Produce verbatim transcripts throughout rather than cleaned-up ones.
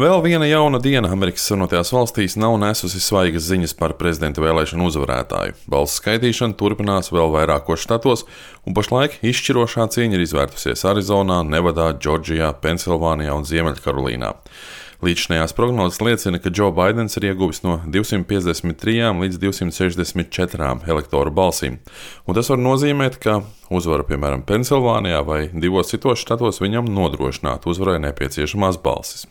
Vēl viena jauna diena Amerikas Savienotajās valstīs nav nesusi svaigas ziņas par prezidenta vēlēšanu uzvarētāju. Balsu skaitīšana turpinās vēl vairākos štatos, un pašlaik izšķirošā cīņa ir izvērtusies Arizonā, Nevadā, Džordžijā, Pensilvānijā un Ziemeļkarolīnā. Līdzinājās prognozes liecina, ka Džo Baidens ir ieguvis no divsimt piecdesmit trijām līdz divsimt sešdesmit četrām elektoru balsīm, un tas var nozīmēt, ka uzvara, piemēram, Pensilvānijā vai divos citos štatos viņam nodrošinātu uzvarai nepieciešamās balsis.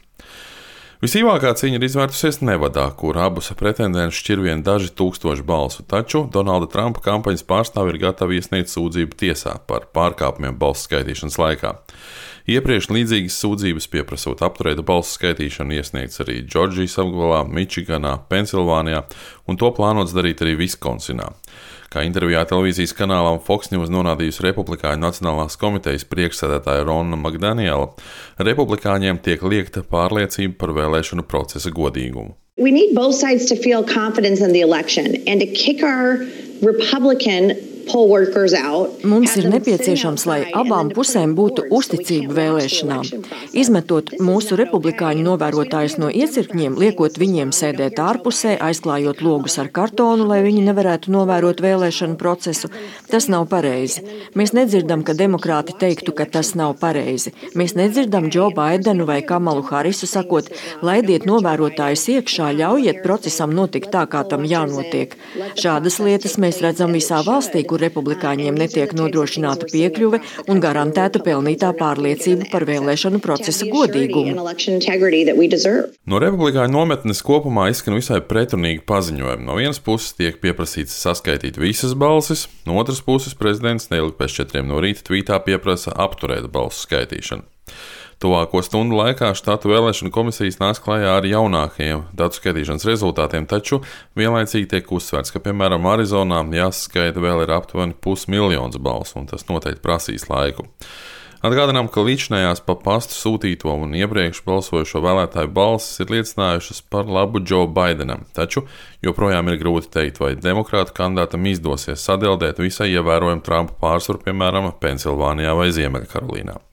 Visīvākā cīņa ir izvērtusies Nevadā, kur abus pretendentus šķir vien daži tūkstoši balsu, taču Donalda Trumpa kampaņas pārstāvji ir gatavi iesniegt sūdzību tiesā par pārkāpumiem balsu skaitīšanas laikā. Iepriekš līdzīgas sūdzības pieprasot apturēt balsu skaitīšanu iesniegts arī Džordžijas apgabalā, Mičiganā, Pensilvānijā, un to plānots darīt arī Viskonsinā. Kā intervijā televīzijas kanālam Fox News norādījusi Republikāņu Nacionālās komitejas priekšsēdētāja Ronna Makdaniela, republikāņiem tiek liekta pārliecība par vēlēšanu procesa godīgumu. We need both sides to feel confidence in the election and to kick our Republican poll workers out. Mums ir nepieciešams, lai abām pusēm būtu uzticība vēlēšanām. Izmetot mūsu republikāņu novērotājus no iecirkņiem, liekot viņiem sēdēt ārpusē, aizklājot logus ar kartonu, lai viņi nevarētu novērot vēlēšanu procesu, tas nav pareizi. Mēs nedzirdam, ka demokrāti teiktu, ka tas nav pareizi. Mēs nedzirdam Džo Baidenu vai Kamalu Harisu sakot, laidiet novērotājus iekšā, ļaujiet procesam notikt tā, kā tam jānotiek. Šādas lietas mēs redzam visā valstī, kur republikāņiem netiek nodrošināta piekļuve un garantēta pelnītā pārliecība par vēlēšanu procesa godīgumu. No republikāņu nometnes kopumā izskan visai pretrunīgi paziņojumi. No vienas puses tiek pieprasīts saskaitīt visas balsis, no otras puses prezidents neilgi pēc četriem no rīta tvītā pieprasa apturēt balsu skaitīšanu. Tuvāko stundu laikā štatu vēlēšanu komisijas nāks klajā ar jaunākajiem datu skaitīšanas rezultātiem, taču vienlaicīgi tiek uzsvērts, ka, piemēram, Arizonā jāsaskaita vēl ir aptuveni pusmiljons balsu, un tas noteikti prasīs laiku. Atgādinām, ka līdzinājās pa pastu sūtīto un iepriekš balsojušo vēlētāju balsis ir liecinājušas par labu Džo Baidenam, taču joprojām ir grūti teikt, vai demokrātu kandidātam izdosies sadeldēt visai ievērojumu Trumpa pārsvaru, piemēram, Pensilvānijā vai Ziemeļkarolīnā.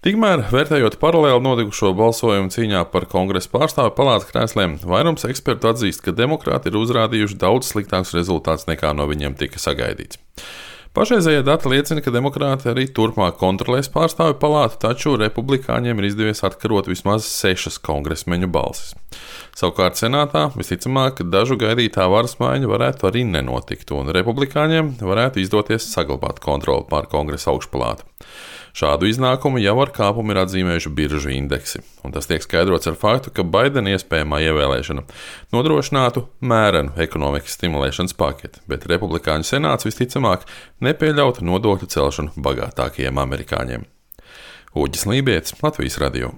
Tikmēr, vērtējot paralēli notikušo balsojumu cīņā par Kongresa pārstāvju palātas krēsliem, vairums ekspertu atzīst, ka demokrāti ir uzrādījuši daudz sliktākus rezultātus nekā no viņiem tika sagaidīts. Pašreizējie dati liecina, ka demokrāti arī turpmāk kontrolēs pārstāvju palātu, taču republikāņiem ir izdevies atkarot vismaz sešas kongresmeņu balsis. Savukārt senātā visticamāk, ka dažu gaidītā varas maiņa varētu arī nenotikt, un republikāņiem varētu izdoties saglabāt kontroli pār Kongresa augšpalātu. Šādu iznākumu jau ar kāpumu ir atzīmējuši biržu indeksi, un tas tiek skaidrots ar faktu, ka Baidena iespējamā ievēlēšana nodrošinātu mērenu ekonomikas stimulēšanas paketi, bet republikāņu senāts visticamāk nepieļautu nodokļu celšanu bagātākajiem amerikāņiem. Uģis Lībietis, Latvijas radio.